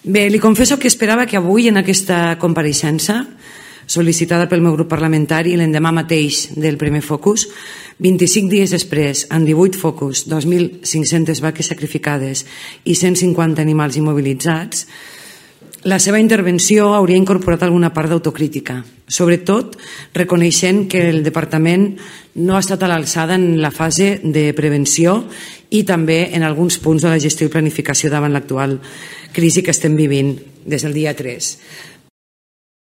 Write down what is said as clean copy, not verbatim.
Bé, li confesso que esperava que avui en aquesta compareixença sol·licitada pel meu grup parlamentari l'endemà mateix del primer focus, 25 dies després, amb 18 focus, 2.500 vaques sacrificades i 150 animals immobilitzats, la seva intervenció hauria incorporat alguna part d'autocrítica, sobretot reconeixent que el departament no ha estat a l'alçada en la fase de prevenció i també en alguns punts de la gestió i planificació davant l'actual crisi que estem vivint des del dia 3.